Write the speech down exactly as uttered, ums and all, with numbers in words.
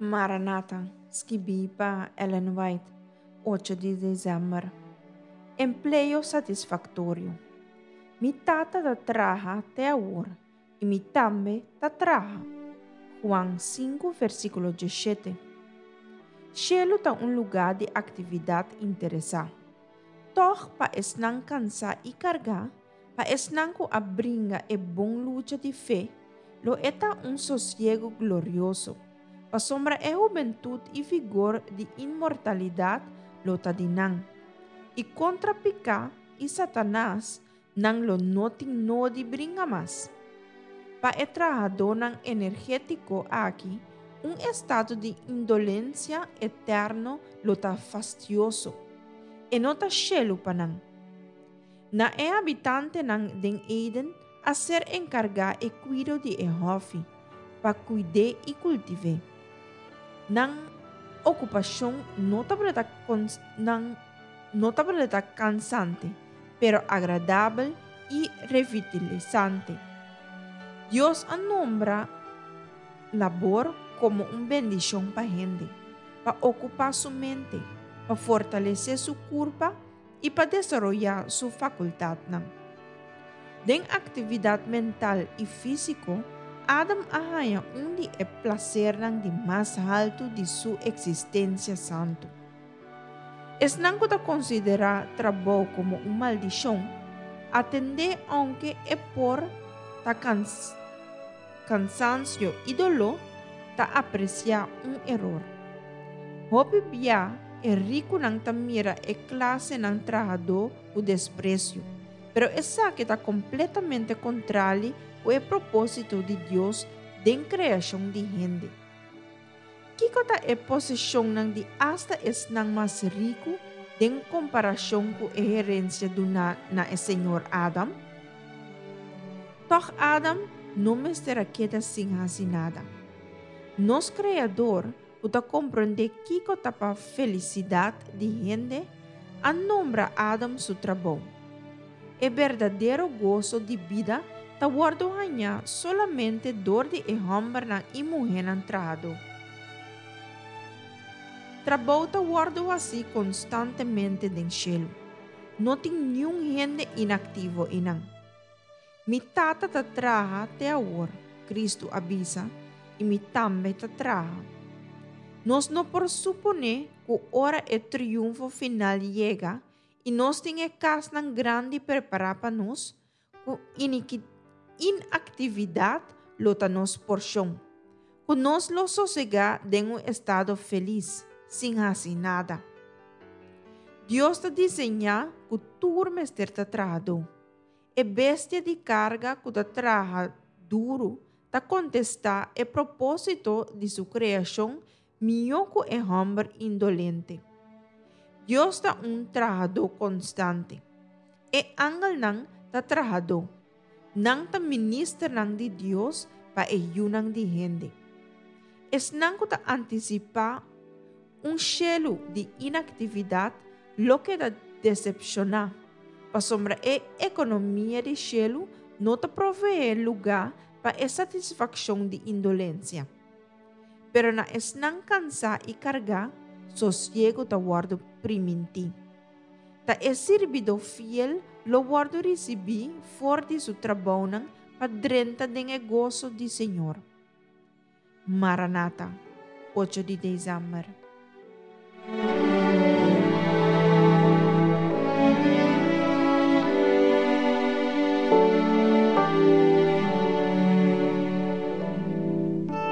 Maranata, skibí pa Ellen White, ocho di desèmber. Empleo satisfaktorio. Mi Tata ta traha te awor, i mi tambe ta traha. Juan sinku, versíkulo diesshete. Shelu ta un lugá di aktividat interesá. Tòg pa esnan kansá i kargá, pa esnan ku a bringa e bon lucha di fe, lo e ta un sosiegu glorioso, pasobra e hubentut i vigor di inmortalidat lo ta di nan. I kontra piká i Satanas nan lo no tin nodi bringa mas. Pa e trahadónan energétiko aki, un estado di indolensia eterno lo ta fastioso. E no ta shelu pa nan. Na e habitantenan den Eden a ser enkargá e kuido di e hòfi, pa kuid'é i kultiv'é. Nan okupashon no tabata nan no tabata kansante, pero agradabel i revitalisante. Dios a nombra labor komo un bendishon pa hende, pa okupá su mente, pa fortalesé su kurpa i pa desaroyá su fakultatnan. Den aktividat mental i físiko, Adam a haña un di e plasernan di mas haltu di su eksistensia santu. Esnan ku ta konsiderá trabou komo un maldishon, atendé ounke e por ta kans kansansio i doló, ta apresiá un eror. Hopi bia e rikunan ta mira e klasenan trahadó ku despresio, pero esaki ta kompletamente kontrali ku e propósito di Dios den kreashon di hende. Kiko ta e poseshonnan di asta esnan mas riku den komparashon ku e herensia duná na e señor Adam? Tòg Adam no mester a keda sin hasi nada. Nos Kreador, ku ta komprondé kiko ta pa felisidat di hende, a nombra Adam su trabou. E berdadero goso di bida ta wòrdu hañá solamente dor di e hòmbernan i muhénan trahadó. Trabou ta wòrdu hasí konstantemente den shelu. No tin niun hende inaktivo einan. Mi Tata ta traha te awor, Kristu a bisa, i mi tambe ta traha. Nos no por suponé ku ora e triunfo final yega i nos tin e kasnan grandi prepará pa nos, ku inaktividat lo ta nos porshon, ku nos lo sosegá den un estado felis, sin hasi nada. Dios ta diseñá ku tur mester ta trahadó. E bestia di karga ku ta traha duru ta kontestá e propósito di su kreashon mihó ku e hòmber indolente. Dios ta un trahadó konstante. E angelnan ta trahadó. Nan ta ministernan di Dios pa e yunan di hende. Esnan ku ta antisipá un shelu di inaktividat lo keda desepshoná, pasobra e ekonomia di shelu no ta proveé lugá pa e satisfakshon di indolensia. Pero na esnan kansá i kargá, sosiegu ta wòrdu primintí. Ta e sirbidó fiel lo wòrdu risibí for di su trabounan pa drenta den e goso di Señor. Maranata, ocho di desèmber.